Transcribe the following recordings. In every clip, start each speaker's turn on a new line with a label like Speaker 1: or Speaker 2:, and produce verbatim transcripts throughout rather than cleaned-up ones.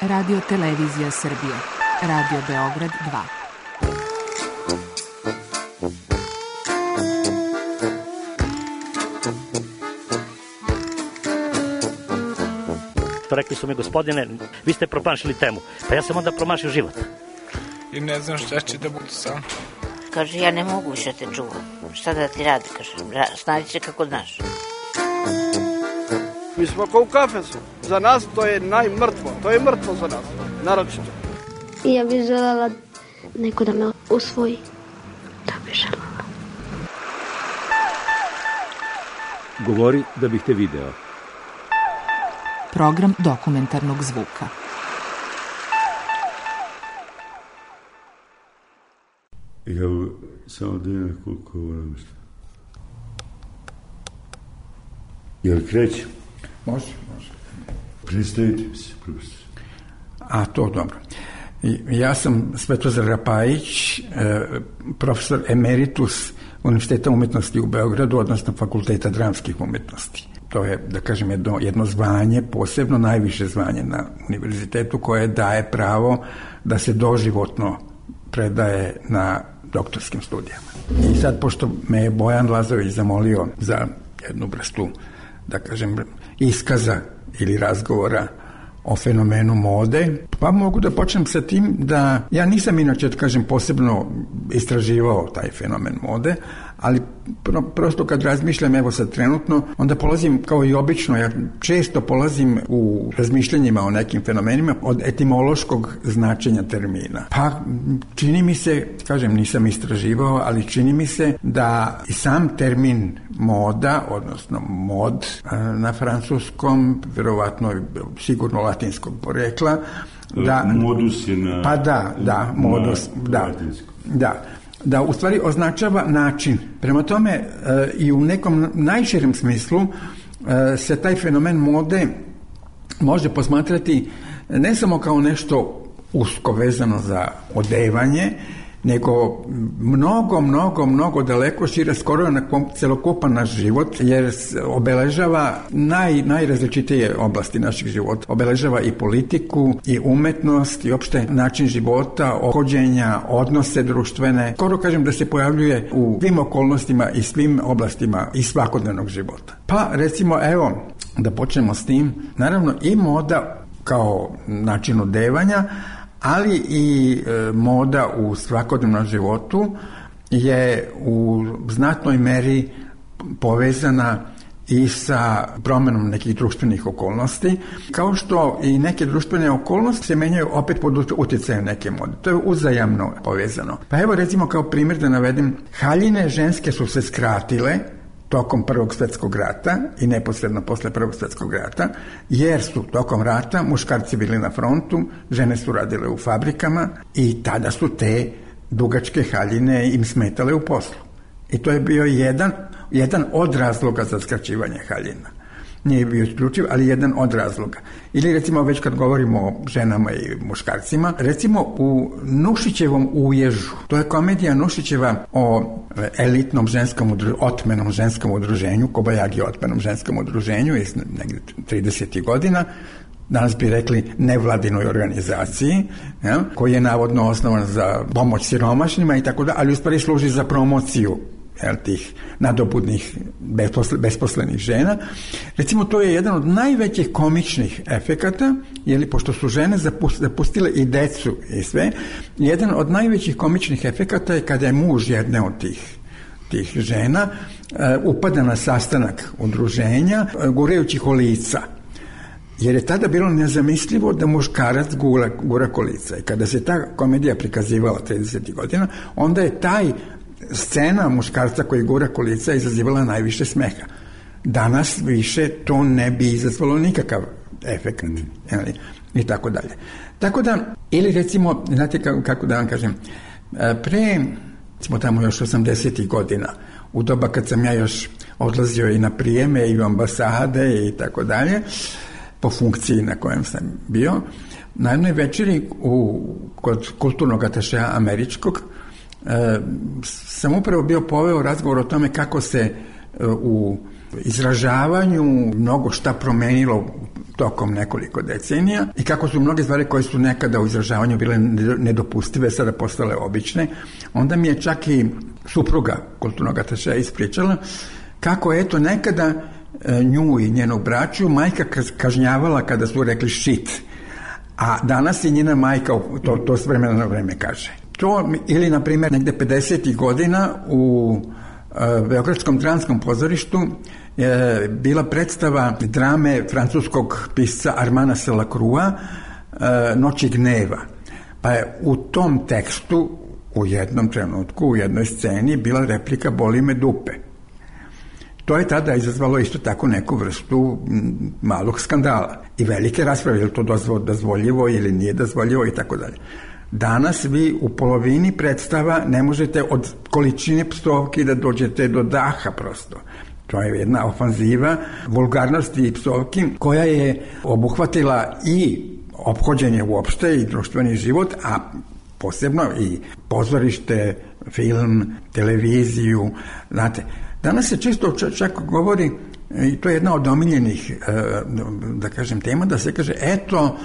Speaker 1: Radio Televizija Srbije, Radio Beograd dva.
Speaker 2: Rekli su mi, gospodine, vi ste promašili temu. Pa ja sam onda promašio život.
Speaker 3: I ne znam šta će da bude sam.
Speaker 4: Kaže, ja ne mogu više te čuvam. Šta da ti radi, kaže, snađi se kako znaš.
Speaker 5: Mi smo kao u kafesu. Za nas to je najmrtvo. To je mrtvo za nas, naročito.
Speaker 6: Ja bih želela neko da me usvoji. Da bih želela.
Speaker 7: Govori da bih te video.
Speaker 1: Program dokumentarnog zvuka.
Speaker 8: Evo, samo da je koliko volim što. Jel krećem?
Speaker 9: Može, može.
Speaker 8: Predstavite mi se, profesor.
Speaker 9: A, to dobro. Ja sam Svetozar Rapajić, profesor emeritus Univerziteta umetnosti u Beogradu, odnosno Fakulteta dramskih umetnosti. To je, da kažem, jedno, jedno zvanje, posebno najviše zvanje na univerzitetu, koje daje pravo da se doživotno predaje na doktorskim studijama. I sad, pošto me je Bojan Lazović zamolio za jednu vrstu, da kažem, iskaza ili razgovora o fenomenu mode, pa mogu da počnem sa tim da ja nisam inače, da kažem, posebno istraživao taj fenomen mode, ali pro, prosto kad razmišljam, evo sad trenutno, onda polazim kao i obično, ja često polazim u razmišljanjima o nekim fenomenima od etimološkog značenja termina. Pa čini mi se, kažem, nisam istraživao, ali čini mi se da i sam termin moda, odnosno mod na francuskom, verovatno sigurno latinskog porekla, da,
Speaker 8: modus je na...
Speaker 9: Pa da, da, modus,
Speaker 8: na
Speaker 9: da, da. Da u stvari označava način. Prema tome e, i u nekom najširem smislu e, se taj fenomen mode može posmatrati ne samo kao nešto usko vezano za odevanje, nego mnogo, mnogo, mnogo daleko šire, skoro na celokupan naš život, jer obeležava naj, najrazličitije oblasti naših života. Obeležava i politiku, i umetnost, i opšte način života, ophođenja, odnose društvene. Skoro kažem da se pojavljuje u svim okolnostima i svim oblastima i svakodnevnog života. Pa recimo, evo, da počnemo s tim, naravno i moda kao način odevanja, ali i e, moda u svakodnevnom životu je u znatnoj meri povezana i sa promenom nekih društvenih okolnosti, kao što i neke društvene okolnosti se menjaju opet pod utjecajem neke mode. To je uzajamno povezano. Pa evo recimo kao primjer da navedem, haljine ženske su se skratile tokom Prvog svjetskog rata i neposredno posle Prvog svjetskog rata, jer su tokom rata muškarci bili na frontu, žene su radile u fabrikama i tada su te dugačke haljine im smetale u poslu. I to je bio jedan, jedan od razloga za skraćivanje haljina. Nije bio isključiv, ali jedan od razloga. Ili recimo već kad govorimo o ženama i muškarcima, recimo u Nušićevom Uježu, to je komedija Nušićeva o elitnom ženskom udruženju, otmenom ženskom udruženju, Kobajagi otmenom ženskom udruženju iz negdje tridesetih godina, danas bi rekli nevladinoj organizaciji, ja, koji je navodno osnovan za pomoć siromašnima i tako da, ali u stvari služi za promociju jel, tih nadobudnih besposlenih žena. Recimo, to je jedan od najvećih komičnih efekata, jeli, pošto su žene zapustile i decu i sve, jedan od najvećih komičnih efekata je kada je muž jedne od tih, tih žena uh, upada na sastanak udruženja uh, gurajući kolica. Jer je tada bilo nezamislivo da muškarac gura, gura kolica. I kada se ta komedija prikazivala tridesetih godina, onda je taj scena muškarca koji gura kolica izazivala najviše smeha. Danas više to ne bi izazvalo nikakav efekt. Mm. I tako dalje. Tako da, ili recimo, znate kako, kako da vam kažem, pre, smo tamo još osamdesetih godina, u doba kad sam ja još odlazio i na prijeme i u ambasade i tako dalje, po funkciji na kojem sam bio, na jednoj večeri u, kod kulturnog atašeja američkog, e, sam upravo bio poveo razgovor o tome kako se e, u izražavanju mnogo šta promenilo tokom nekoliko decenija i kako su mnoge stvari koje su nekada u izražavanju bile nedopustive sada postale obične, onda mi je čak i supruga kulturnog atašeja ispričala kako eto nekada nju i njenog braću majka kažnjavala kada su rekli shit, a danas je njena majka to, to s vremena na vreme kaže. To, ili na primjer negde pedesetih godina u uh, Beogradskom Dranskom pozorištu je bila predstava drame francuskog pisca Armana Selacrua uh, Noći gneva. Pa je u tom tekstu u jednom trenutku, u jednoj sceni bila replika boli me dupe. To je tada izazvalo isto tako neku vrstu malog skandala i velike rasprave, je li to dozvoljivo ili nije dozvoljivo i tako dalje. Danas vi u polovini predstava ne možete od količine psovki da dođete do daha prosto. To je jedna ofanziva vulgarnosti i psovki koja je obuhvatila i ophođenje uopšte i društveni život, a posebno i pozorište, film, televiziju, znate. Danas se često čak govori, i to je jedna od omiljenih, da kažem, tema, da se kaže, eto,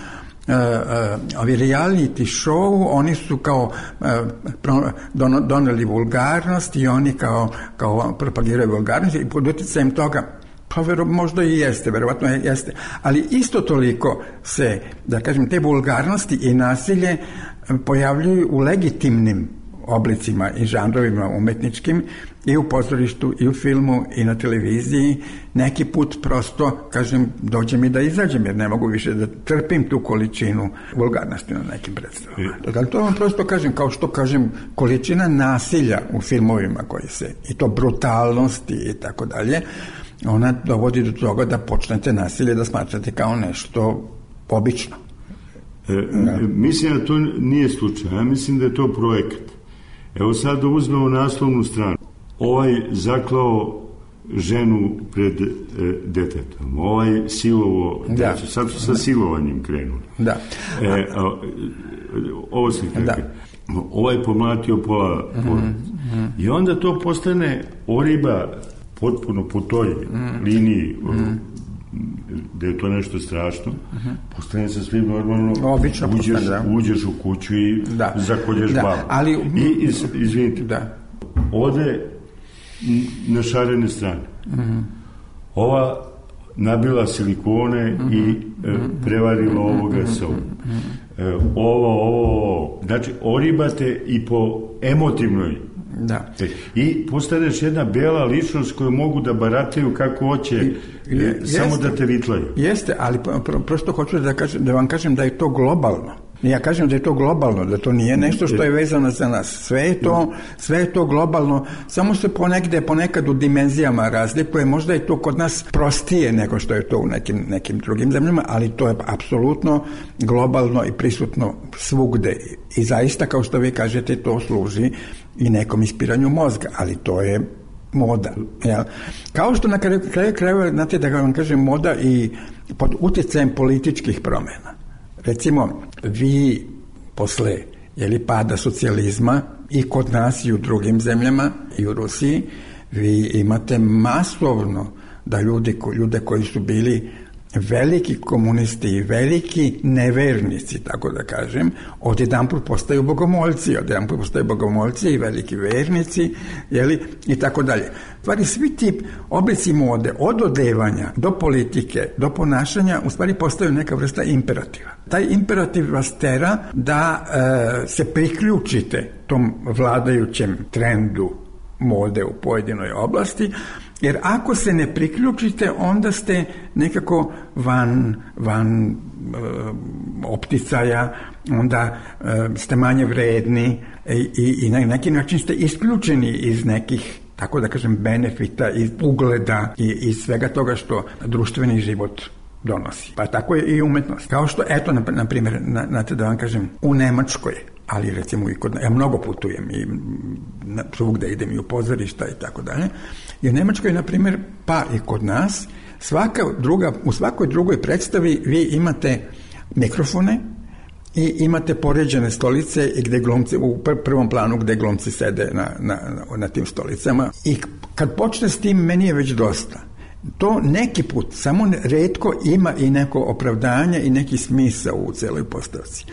Speaker 9: ovi reality show, oni su kao doneli vulgarnost i oni kao, kao propagiraju vulgarnost i pod utjecajem toga, pa vero, možda i jeste, verovatno jeste, ali isto toliko se, da kažem, te vulgarnosti i nasilje pojavljuju u legitimnim oblicima i žanrovima umetničkim i u pozorištu i u filmu i na televiziji. Neki put prosto, kažem, dođe mi da izađem jer ne mogu više da trpim tu količinu vulgarnosti na nekim predstavama. Dakle, to vam prosto kažem, kao što kažem, količina nasilja u filmovima koji se, i to brutalnosti i tako dalje, ona dovodi do toga da počnete nasilje da smatrate kao nešto obično.
Speaker 8: E, mislim da to nije slučaj, ja mislim da je to projekat. Evo sad da uzmemo naslovnu stranu. Ovaj zaklao ženu pred e, detetom, ovaj silovo, da. Znači, sad su sa silovanjem krenuli.
Speaker 9: Da.
Speaker 8: E, a, ovo se kako. Da. Ovaj pomlatio pola porodice. Mm-hmm. I onda to postane oriba potpuno po toj mm-hmm. liniji mm-hmm. da je to nešto strašno, uh-huh. postane sa svim normalno, obično uđeš, postane, da. uđeš u kuću i da. zakolješ da. babu. Ali, I, iz, izvinite, da. ode na šarene strane. Uh-huh. Ova nabila silikone uh-huh. i e, prevarila uh-huh. ovoga sa ovom. Uh-huh. E, ovo, ovo, znači, oribate i po emotivnoj. Da. I postaneš jedna bela ličnost koju mogu da barataju kako hoće, I, je, samo jeste, da te vitlaju.
Speaker 9: Jeste, ali pro, prosto hoću da, kažem, da vam kažem da je to globalno. Ja kažem da je to globalno, da to nije nešto što je vezano za nas. Sve je to, sve je to globalno, samo se ponegde, ponekad u dimenzijama razlikuje. Možda je to kod nas prostije nego što je to u nekim, nekim drugim zemljama, ali to je apsolutno globalno i prisutno svugde. I zaista, kao što vi kažete, to služi i nekom ispiranju mozga, ali to je moda. Ja. Kao što na kraju krajeva, znate da vam kažem, moda i pod utjecajem političkih promjena. Recimo, vi posle jeli, pada socijalizma i kod nas i u drugim zemljama i u Rusiji, vi imate masovno da ljudi, ljude koji su bili veliki komunisti i veliki nevernici, tako da kažem, odjedanput postaju bogomoljci, odjedanput postaju bogomoljci i veliki vernici, jeli, i tako dalje. Stvari, svi ti oblici mode, od odevanja do politike, do ponašanja, u stvari postaju neka vrsta imperativa. Taj imperativ vas tera da e, se priključite tom vladajućem trendu mode u pojedinoj oblasti, jer ako se ne priključite, onda ste nekako van, van e, opticaja, onda e, ste manje vredni i, i na neki način ste isključeni iz nekih, tako da kažem, benefita, iz ugleda i iz svega toga što društveni život donosi. Pa tako je i umetnost. Kao što, eto, na, na primjer, na, na te da vam kažem, u Nemačkoj, ali recimo i kod, ja mnogo putujem i na, svugde idem i u pozorišta i tako dalje, i u Nemačkoj, na primjer, pa i kod nas, svaka druga, u svakoj drugoj predstavi vi imate mikrofone i imate poređene stolice i gde glumci, u prvom planu gde glumci sede na, na, na tim stolicama, i kad počne s tim, meni je već dosta. to neki put, samo retko ima i neko opravdanje i neki smisao u celoj postavci.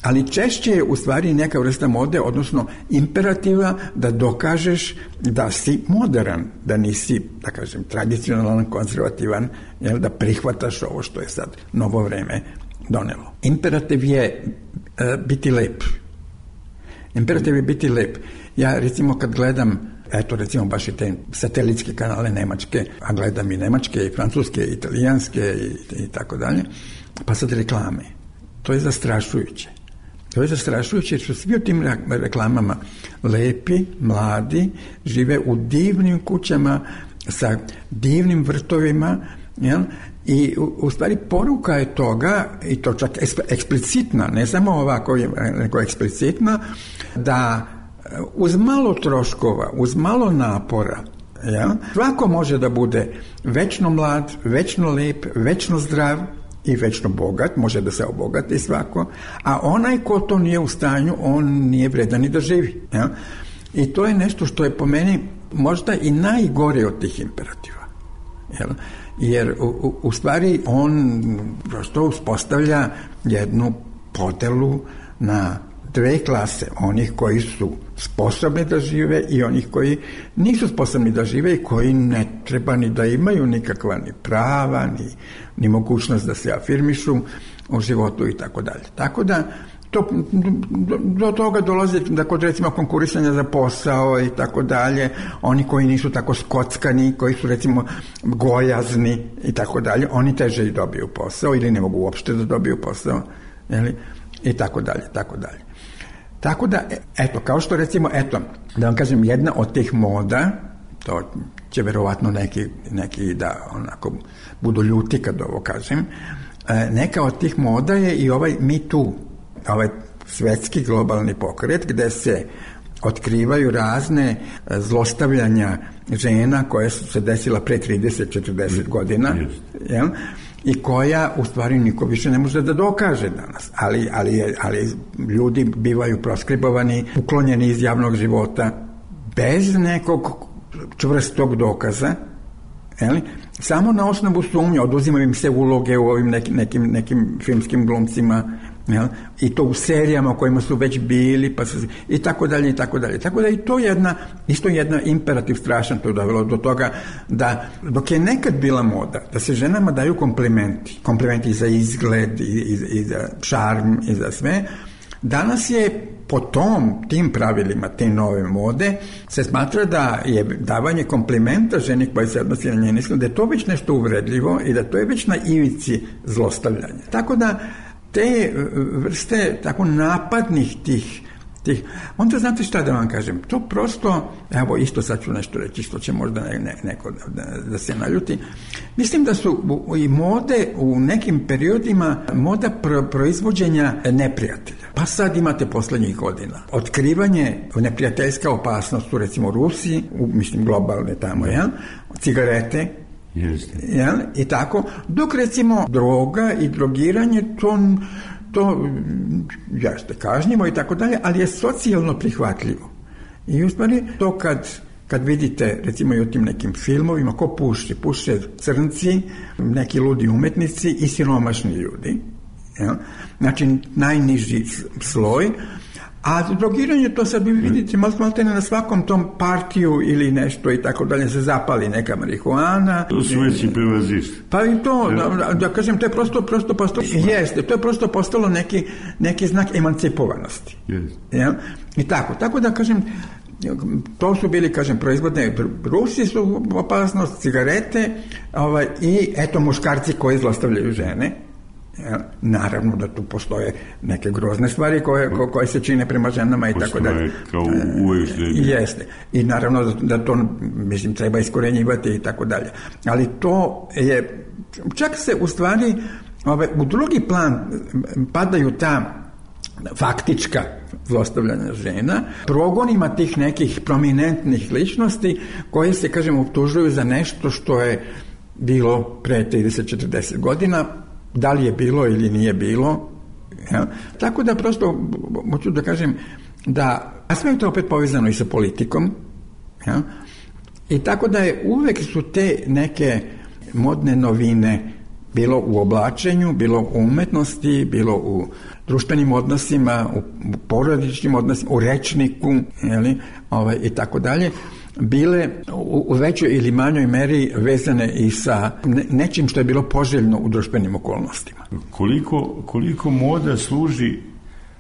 Speaker 9: Ali češće je u stvari neka vrsta mode, odnosno imperativa da dokažeš da si modern, da nisi, da kažem, tradicionalan, konzervativan, jel, da prihvataš ovo što je sad novo vreme donelo. Imperativ je uh, biti lep. Imperativ je biti lep. Ja recimo kad gledam, eto recimo baš i te satelitske kanale nemačke, a gledam i nemačke, i francuske, i italijanske i, i tako dalje, pa sad reklame. To je zastrašujuće. To je zastrašujuće jer su svi u tim reklamama lepi, mladi, žive u divnim kućama sa divnim vrtovima, jel? I u, u stvari poruka je toga, i to čak eksplicitna, ne samo ovako, nego eksplicitna, da uz malo troškova, uz malo napora, jel? Svako može da bude večno mlad, večno lep, večno zdrav i večno bogat, može da se obogati svako, a onaj ko to nije u stanju, on nije vredan ni da živi. Jel? I to je nešto što je po meni možda i najgore od tih imperativa. Jel? Jer u, u stvari on prosto uspostavlja jednu podelu na dve klase, onih koji su sposobni da žive i onih koji nisu sposobni da žive i koji ne treba ni da imaju nikakva ni prava, ni, ni mogućnost da se afirmišu u životu i tako dalje. Tako da to, do, do toga dolazi da kod recimo konkurisanja za posao i tako dalje, oni koji nisu tako skockani, koji su recimo gojazni i tako dalje, oni teže i dobiju posao ili ne mogu uopšte da dobiju posao, jeli? I tako dalje, tako dalje. Tako da, eto, kao što recimo, eto, da vam kažem, jedna od tih moda, to će verovatno neki, neki da onako budu ljuti kad ovo kažem, neka od tih moda je i ovaj Me Too, ovaj svetski globalni pokret gde se otkrivaju razne zlostavljanja žena koje su se desila pre trideset četrdeset godina, jel? I koja u stvari niko više ne može da dokaže danas, ali, ali, ali ljudi bivaju proskribovani, uklonjeni iz javnog života bez nekog čvrstog dokaza, jeli? Samo na osnovu sumnje, oduzimaju im se uloge u ovim nekim, nekim, nekim filmskim glumcima, jel? I to u serijama u kojima su već bili, pa su, i tako dalje, i tako dalje. Tako da i to jedna, isto jedna imperativ strašan, to je dovelo do toga da, dok je nekad bila moda, da se ženama daju komplimenti, komplimenti za izgled, i, i, i za šarm, i za sve, danas je po tom, tim pravilima, te nove mode, se smatra da je davanje komplimenta ženi koja se odnosi na njen izgled, da je to već nešto uvredljivo i da to je već na ivici zlostavljanja. Tako da te vrste tako napadnih tih, tih onda znate šta da vam kažem, to prosto, evo isto sad ću nešto reći što će možda ne, ne, neko da, da se naljuti, mislim da su i mode u nekim periodima moda pro, proizvođenja neprijatelja. Pa sad imate poslednjih godina otkrivanje neprijateljska opasnost u recimo Rusiji, u, mislim globalne tamo, ja, cigarete, jel? I tako, dok recimo droga i drogiranje to, to jeste kažnjivo i tako dalje, ali je socijalno prihvatljivo. I u stvari to kad, kad vidite recimo i u tim nekim filmovima, ko puši? Puše crnci, neki ludi umetnici i siromašni ljudi, jel? Znači najniži sloj. A drogiranje, to sad vi vidite maltene na svakom tom partiju ili nešto i tako dalje, se zapali neka marihuana.
Speaker 8: To su već i prevazišli.
Speaker 9: Pa i to, da, da kažem, to je prosto, prosto postalo, jeste, to je prosto postalo neki, neki znak emancipovanosti. Ja? I tako, tako da kažem, to su bili, kažem, proizvodne, Rusi su opasnost, cigarete, ovaj, i eto muškarci koji zlostavljaju žene. Ja, naravno da tu postoje neke grozne stvari koje, ko, koje se čine prema ženama i tako dalje.
Speaker 8: Kao uvijek srednje.
Speaker 9: Jeste. I naravno da, da to, mislim, treba iskorenjivati i tako dalje. Ali to je, čak se u stvari ove, u drugi plan padaju ta faktička zlostavljanja žena, progonima tih nekih prominentnih ličnosti koje se, kažem, optužuju za nešto što je bilo pre trideset četrdeset godina, da li je bilo ili nije bilo. Ja? Tako da prosto hoću da kažem da, a sve je to opet povezano i sa politikom, ja? I tako da je uvek su te neke modne novine, bilo u oblačenju, bilo u umetnosti, bilo u društvenim odnosima, u porodičnim odnosima, u rečniku, jeli, ovaj, i tako dalje, bile u, u većoj ili manjoj meri vezane i sa ne, nečim što je bilo poželjno u društvenim okolnostima.
Speaker 8: Koliko, koliko moda služi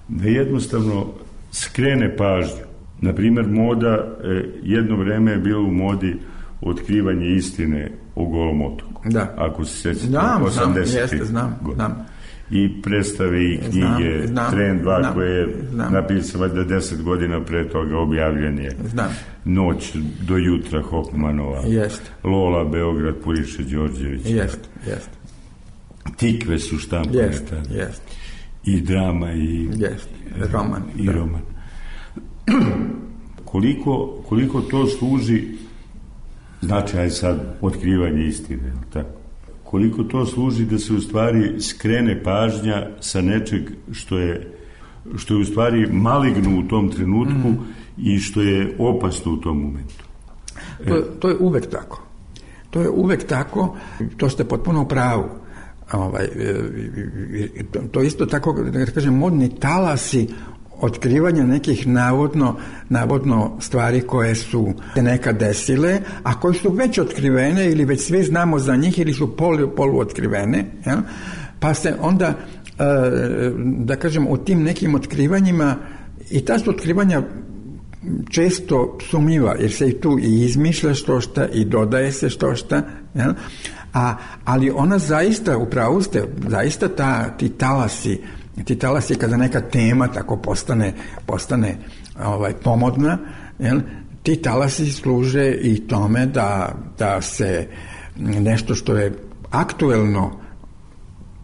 Speaker 8: da jednostavno skrene pažnju. Naprimjer, moda eh, jedno vreme je bilo u modi otkrivanje istine o Golom otoku.
Speaker 9: Da.
Speaker 8: Ako se sjećate,
Speaker 9: znam,
Speaker 8: osamdesetih
Speaker 9: znam, znam.
Speaker 8: I predstave i knjige,
Speaker 9: znam, znam,
Speaker 8: Tren dva
Speaker 9: znam,
Speaker 8: koje je
Speaker 9: znam.
Speaker 8: napisao da deset godina pre toga objavljen je.
Speaker 9: Znam.
Speaker 8: Noć do jutra Hofmanova.
Speaker 9: Jest.
Speaker 8: Lola, Beograd, Puriše Đorđević.
Speaker 9: Jest, jest.
Speaker 8: Tikve su štampane.
Speaker 9: Jest, jest.
Speaker 8: I drama i,
Speaker 9: jest. Roman.
Speaker 8: I
Speaker 9: da.
Speaker 8: roman. koliko, koliko to služi, znači, aj sad, otkrivanje istine, tako? Koliko to služi da se u stvari skrene pažnja sa nečeg što je, što je u stvari maligno u tom trenutku mm. i što je opasno u tom momentu.
Speaker 9: To, to je uvek tako. To je uvek tako, to ste potpuno u pravu. Ovaj, to isto tako, da kažem, modni talasi otkrivanja nekih navodno, navodno stvari koje su se nekad desile, a koje su već otkrivene ili već svi znamo za njih ili su polu, polu otkrivene, ja? Pa se onda, da kažem, u tim nekim otkrivanjima, i ta su otkrivanja često sumnjiva, jer se i tu i izmišlja što šta i dodaje se što šta, ja? A, ali ona zaista, upravo ste, zaista ta, ti talasi, ti talasi kada neka tema tako postane, postane ovaj, pomodna, jel? Ti talasi služe i tome da, da se nešto što je aktuelno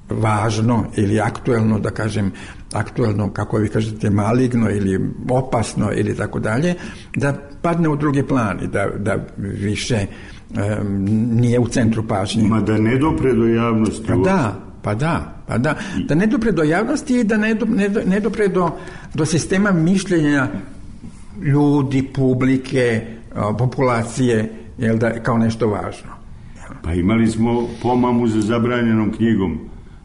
Speaker 9: važno ili aktuelno, da kažem, aktuelno, kako vi kažete, maligno ili opasno ili tako dalje, da padne u drugi plan i da, da više um, nije u centru pažnje.
Speaker 8: Ma da ne dopre do javnosti.
Speaker 9: Pa da, pa da, pa da. Da ne dopre do javnosti i da ne, do, ne, ne dopre do, do sistema mišljenja ljudi, publike, populacije, jel da, kao nešto važno.
Speaker 8: Pa imali smo pomamu za zabranjenom knjigom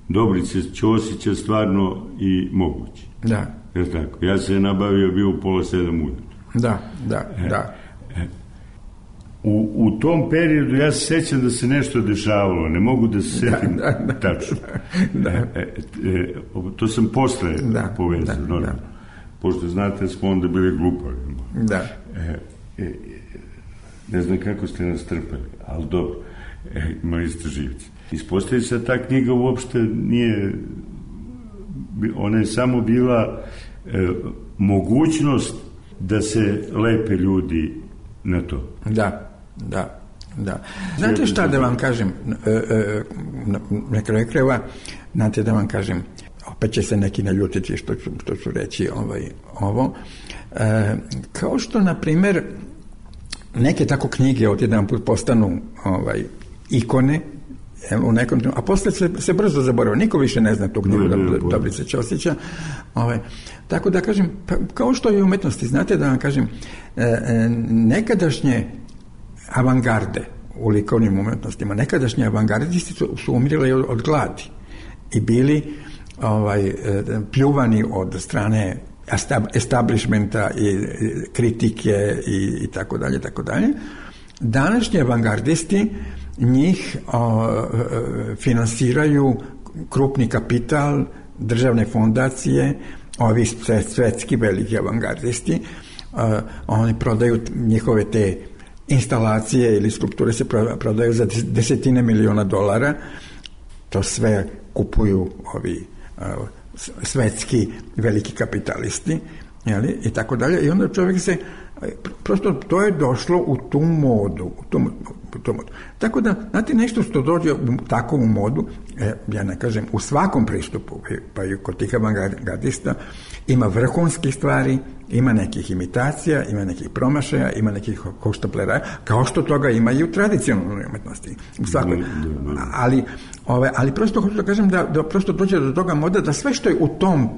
Speaker 8: Dobrice Ćosića, Stvarno i moguće.
Speaker 9: Da.
Speaker 8: Jel tako? Ja se je nabavio, bio u pola sedam ujutro.
Speaker 9: Da, da,
Speaker 8: e,
Speaker 9: da.
Speaker 8: E, u, u tom periodu ja se sećam da se nešto dešavalo, ne mogu da se setim
Speaker 9: da, da,
Speaker 8: tačno.
Speaker 9: Da.
Speaker 8: E, e, e, to sam posle
Speaker 9: da,
Speaker 8: povezao.
Speaker 9: Da, da.
Speaker 8: Pošto znate, smo onda bili glupavi.
Speaker 9: Da.
Speaker 8: E, e, ne znam kako ste nas trpali, ali dobro. E, imali ste živci. Ispostavlja se da ta knjiga uopšte nije, ona je samo bila e, mogućnost da se lepe ljudi na to.
Speaker 9: Da, da, da. Znate šta da vam kažem, e, e, na kraju krajeva, znate da vam kažem, opet će se neki naljutiti što ću, što ću reći ovaj, ovo, e, kao što, na primer, neke tako knjige odjedan put postanu ovaj, ikone, u nekom, a posle se, se brzo zaboravio. Niko više ne zna tu knjigu Dobrice Ćosića. Ovaj, tako da kažem, pa, kao što je u umetnosti, znate da vam kažem, e, e, nekadašnje avangarde u likovnim umetnostima, nekadašnje avangardisti su, su umirali od, od gladi i bili ovaj, e, pljuvani od strane establishmenta i kritike i, i tako dalje, tako dalje. Današnji avangardisti njih o, finansiraju krupni kapital, državne fondacije, ovi svetski veliki avangardisti, o, oni prodaju njihove te instalacije ili skulpture se prodaju za desetine miliona dolara, to sve kupuju ovi o, svetski veliki kapitalisti, jeli, i tako dalje, i onda čovjek se prosto to je došlo u tu modu, u tu, u tu modu. Tako da, znate, nešto što dođe u takvu modu, e, ja ne kažem, u svakom pristupu, pa i kod tih avangardista, ima vrhunskih stvari, ima nekih imitacija, ima nekih promašaja, ima nekih hoštaplera, kao što toga ima i u tradicionalnoj umetnosti. U svakoj. Ali, ove, ali prosto hoću da kažem da, da prosto dođe do toga moda da sve što je u tom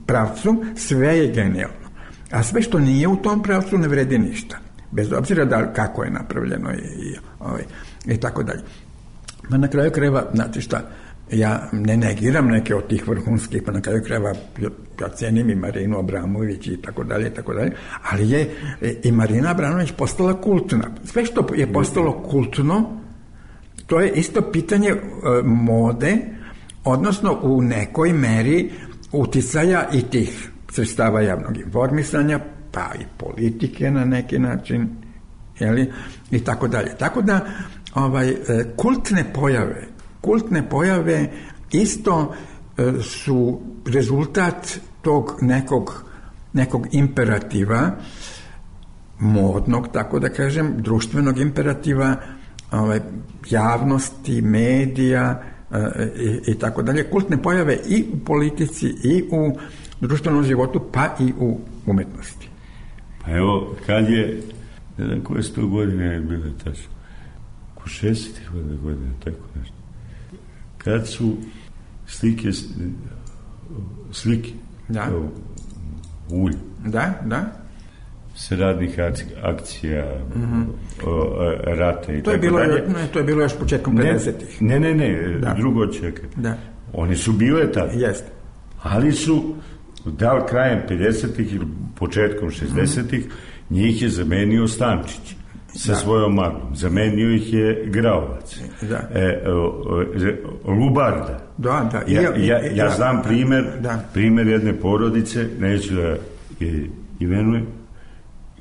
Speaker 9: pravcu, sve je genijalno. A sve što nije u tom pravcu ne vredi ništa. Bez obzira da kako je napravljeno i, i, ovaj, i tako dalje. Ma na kraju krajeva, znate šta, ja ne negiram neke od tih vrhunskih, pa na kraju krajeva ja cenim i Marinu Abramović i tako dalje, i tako dalje, ali je i Marina Abramović postala kultna. Sve što je postalo kultno, to je isto pitanje e, mode, odnosno u nekoj meri uticaja i tih sredstava javnog informisanja, pa i politike na neki način, jeli, i tako dalje. Tako da, ovaj, kultne pojave, kultne pojave isto e, su rezultat tog nekog, nekog imperativa, modnog, tako da kažem, društvenog imperativa, ovaj, javnosti, medija, I, i tako dalje, kultne pojave i u politici i u društvenom životu, pa i u umetnosti.
Speaker 8: Pa evo, kad je, ne znam koje sto godine je bilo tačno, ko šestih godina, tako nešto, kad su slike, slike,
Speaker 9: da.
Speaker 8: ulj,
Speaker 9: da, da,
Speaker 8: se radnih akcija, mm-hmm. rata i
Speaker 9: to je
Speaker 8: tako
Speaker 9: bilo,
Speaker 8: dalje.
Speaker 9: Ne, to je bilo još početkom pedesetih.
Speaker 8: Ne, ne, ne, da. drugo čeka.
Speaker 9: Da.
Speaker 8: Oni su bile tada.
Speaker 9: Jeste.
Speaker 8: Ali su, da li krajem pedesetih ili početkom šezdesetih, mm-hmm. njih je zamenio Stančić sa da. svojom marlom. Zamenio ih je Graovac. Da. E, o, Lubarda.
Speaker 9: Da, da.
Speaker 8: Ja, ja, ja znam primer, da. primer jedne porodice, neću da je imenujem,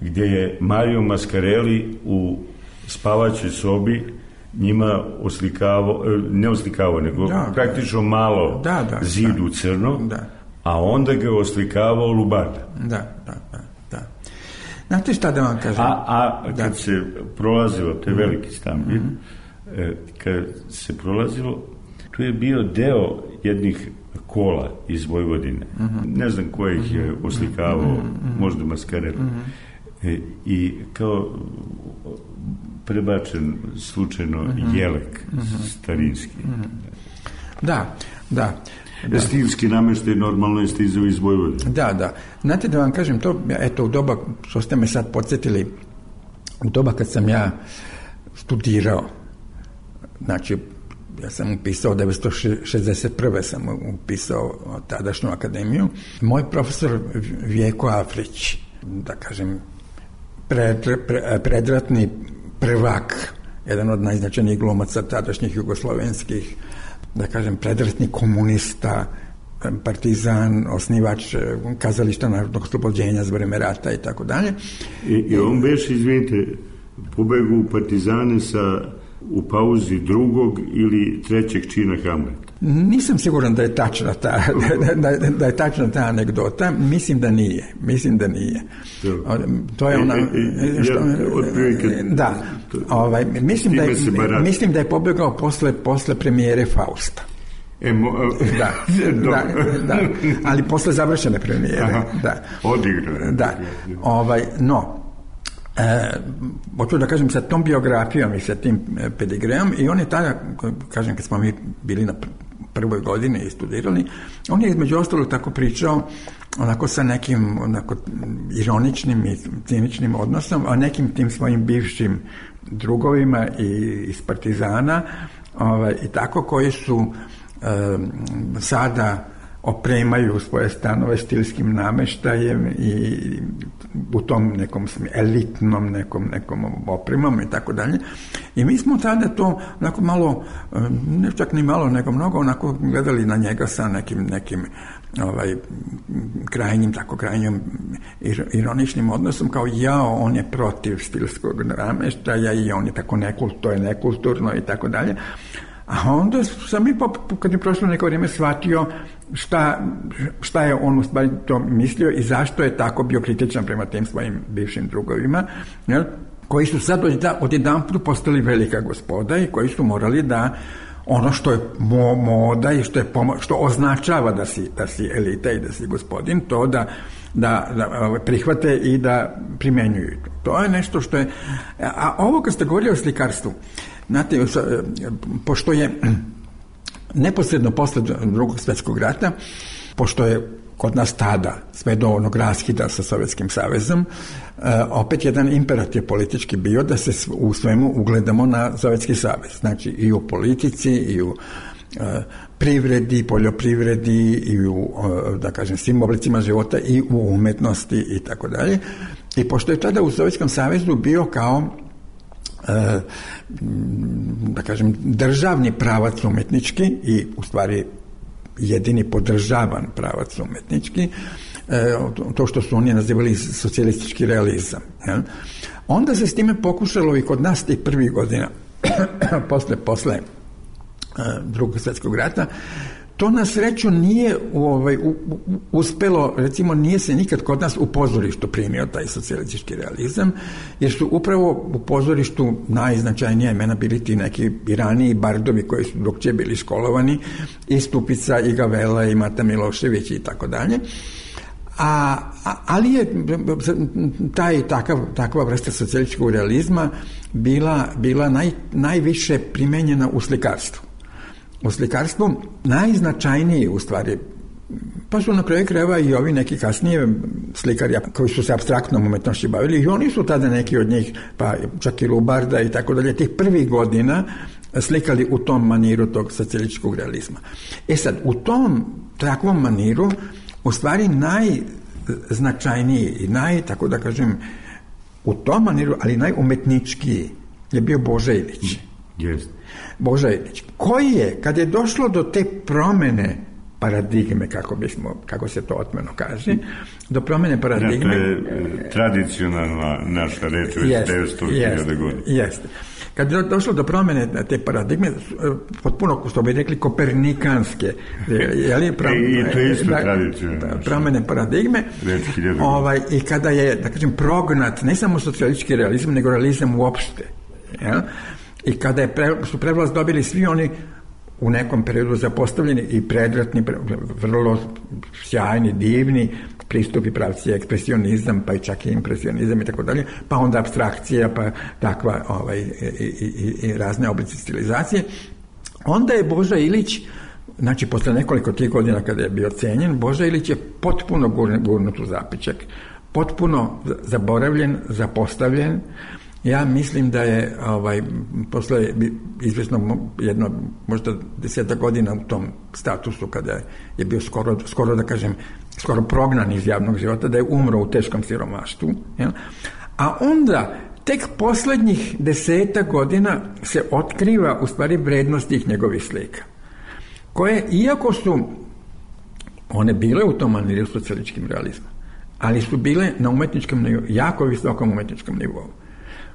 Speaker 8: gdje je Mario Mascarelli u spavaćoj sobi njima oslikavao, ne oslikavao, nego da, praktično malo
Speaker 9: da, da,
Speaker 8: zidu
Speaker 9: da,
Speaker 8: crno,
Speaker 9: da.
Speaker 8: a onda ga oslikavao Lubarda.
Speaker 9: Da, da, da, da. Znate šta da vam kažem?
Speaker 8: A, a kad da. se prolazilo, to je veliki stan, mm-hmm. kad se prolazilo, tu je bio deo jednih kola iz Vojvodine. Mm-hmm. Ne znam ko ih je oslikavao, mm-hmm. možda Mascarelli. Mm-hmm. E, i kao prebačen slučajno mm-hmm. jelek mm-hmm. starinski.
Speaker 9: Mm-hmm. Da, da.
Speaker 8: da. Stilski namještaj normalno je stizao iz Vojvodine.
Speaker 9: Da, da. Znate da vam kažem to, eto u doba, što ste me sad podsjetili, u doba kad sam ja studirao, znači ja sam upisao devetsto šezdeset prve sam upisao tadašnju akademiju, moj profesor Vjeko Afrić, da kažem, Pred, pre, predratni prvak, jedan od najznačajnijih glumaca tadašnjih jugoslovenskih, da kažem, predratni komunista, partizan, osnivač kazališta narodnog oslobođenja za vreme rata i tako dalje.
Speaker 8: I on beš, izvinite, pobegu u partizane sa u pauzi drugog ili trećeg čina Hamleta?
Speaker 9: Nisam siguran da je tačna ta, da, da, da je tačna ta anegdota. Mislim da nije. Mislim da nije. To je ona... Što, da. Ovaj, mislim, da je, mislim da je pobegao posle, posle premijere Fausta.
Speaker 8: Emo,
Speaker 9: da, da, da, ali posle završene premijere. Aha, da.
Speaker 8: Odigrao.
Speaker 9: Da. Ovaj, no, E, hoću da kažem sa tom biografijom i sa tim pedigreom, i on je tada, kažem, kad smo mi bili na prvoj godini i studirali, on je između ostalog tako pričao onako sa nekim onako ironičnim i ciničnim odnosom o nekim tim svojim bivšim drugovima i iz partizana, ovaj, i tako, koji su e, sada opremaju svoje stanove stilskim nameštajem i u tom nekom elitnom nekom, nekom opremom i tako dalje. I mi smo tada to onako malo, ne čak ni malo, nego mnogo onako gledali na njega sa nekim, nekim ovaj, krajnjim, tako krajnjim ironičnim odnosom, kao jao, on je protiv stilskog nameštaja i on je tako nekult, to je nekulturno i tako dalje. A onda sam i kad je prošlo neko vrijeme shvatio šta, šta je on u stvari to mislio i zašto je tako bio kritičan prema tim svojim bivšim drugovima, jel, koji su sad odjedanput postali velika gospoda i koji su morali da ono što je mo, moda i što, je pomo, što označava da si, da si elita i da si gospodin, to da, da, da prihvate i da primenjuju. To je nešto što je... A ovo kad ste govorili o slikarstvu, znate, pošto je neposredno posle drugog svjetskog rata pošto je kod nas tada sve do onog raskida sa Sovjetskim savezom, opet jedan imperativ politički bio da se u svemu ugledamo na Sovjetski savez. Znači i u politici, i u privredi, poljoprivredi, i u, da kažem, svim oblicima života, i u umetnosti i tako dalje. I pošto je tada u Sovjetskom savezu bio kao da kažem državni pravac umetnički i u stvari jedini podržavan pravac umetnički, to što su oni nazivali socijalistički realizam. Jel? Onda se s time pokušalo i kod nas tih prvih godina posle, posle Drugog svjetskog rata. To na sreću nije ovaj, u, u, uspelo, recimo nije se nikad kod nas u pozorištu primio taj socijalistički realizam, jer su upravo u pozorištu najznačajnija imena bili ti neki i raniji bardovi koji su drugčije bili školovani, i Stupica, i Gavela, i Mata Milošević i tako dalje. A, ali je taj, takav, takva vrsta socijalističkog realizma bila, bila naj, najviše primenjena u slikarstvu. U slikarstvu najznačajniji u stvari, pa su na kraju krajeva i ovi neki kasnije slikari koji su se apstraktnom umetnošću bavili, i oni su tada neki od njih, pa čak i Lubarda i tako dalje, tih prvih godina slikali u tom maniru tog socijalističkog realizma. E sad, u tom takvom maniru u stvari najznačajniji i naj, tako da kažem, u tom maniru, ali najumetničkiji je bio Boža Ilić.
Speaker 8: Yes.
Speaker 9: Boža Ilić, koji je, kad je došlo do te promene paradigme, kako bismo, kako se to otmeno kaže, do promene paradigme...
Speaker 8: Ja, to je tradicionalna naša reč već devetsto hiljada godina.
Speaker 9: Jeste. Kad je došlo do promene te paradigme, potpuno, što bi rekli, kopernikanske, jeli, prom,
Speaker 8: I to je isto da, tradicionalno.
Speaker 9: Promene paradigme, ovaj, i kada je, da kažem, prognat ne samo socijalistički realizam, nego realizam uopšte, jel? I kada je pre, su prevlast dobili svi oni u nekom periodu zapostavljeni i predratni, vrlo sjajni, divni pristupi, pravci, ekspresionizam, pa i čak i impresionizam i tako dalje, pa onda apstrakcija, pa takva ovaj, i, i, i razne oblici stilizacije. Onda je Boža Ilić, znači posle nekoliko tih godina kada je bio cenjen, Boža Ilić je potpuno gurnut u zapičak, potpuno zaboravljen, zapostavljen. Ja mislim da je ovaj, posle izvesno jedno, možda deseta godina u tom statusu, kada je bio skoro, skoro da kažem, skoro prognan iz javnog života, da je umro u teškom siromaštvu. Jel? A onda, tek poslednjih deseta godina se otkriva u stvari vrednost tih njegovih slika, koje, iako su one bile u tom maniru socijalističkim realizmom, ali su bile na umetničkom nivou, jako visokom umetničkom nivou.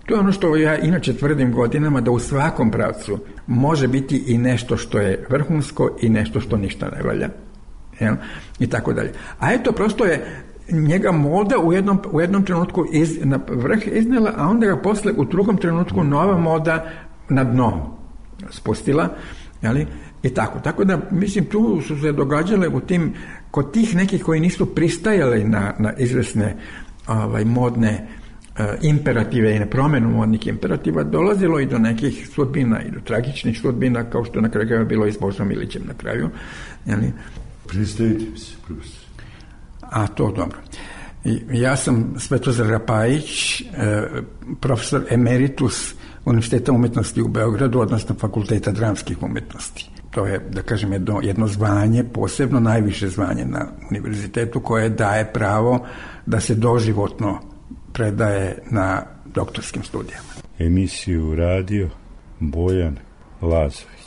Speaker 9: To je ono što ja inače tvrdim godinama, da u svakom pravcu može biti i nešto što je vrhunsko i nešto što ništa ne valja. Jel? I tako dalje. A eto, prosto je njega moda u jednom, u jednom trenutku iz, na vrh iznela, a onda ga posle u drugom trenutku nova moda na dno spustila. Jel? I tako. Tako da, mislim, tu su se događale u tim, kod tih nekih koji nisu pristajali na, na izvesne ovaj, modne imperative i na promenu modnih imperativa, dolazilo i do nekih sudbina i do tragičnih sudbina, kao što na kraju bilo i s Božom Ilićem na kraju. Jeli?
Speaker 8: Predstavite mi se, profesor.
Speaker 9: A, to dobro. I, ja sam Svetozar Rapajić, profesor emeritus Univerziteta umetnosti u Beogradu, odnosno Fakulteta dramskih umetnosti. To je, da kažem, jedno, jedno zvanje, posebno najviše zvanje na univerzitetu, koje daje pravo da se doživotno predaje na doktorskim studijama.
Speaker 8: Emisiju radio Bojan Lazović.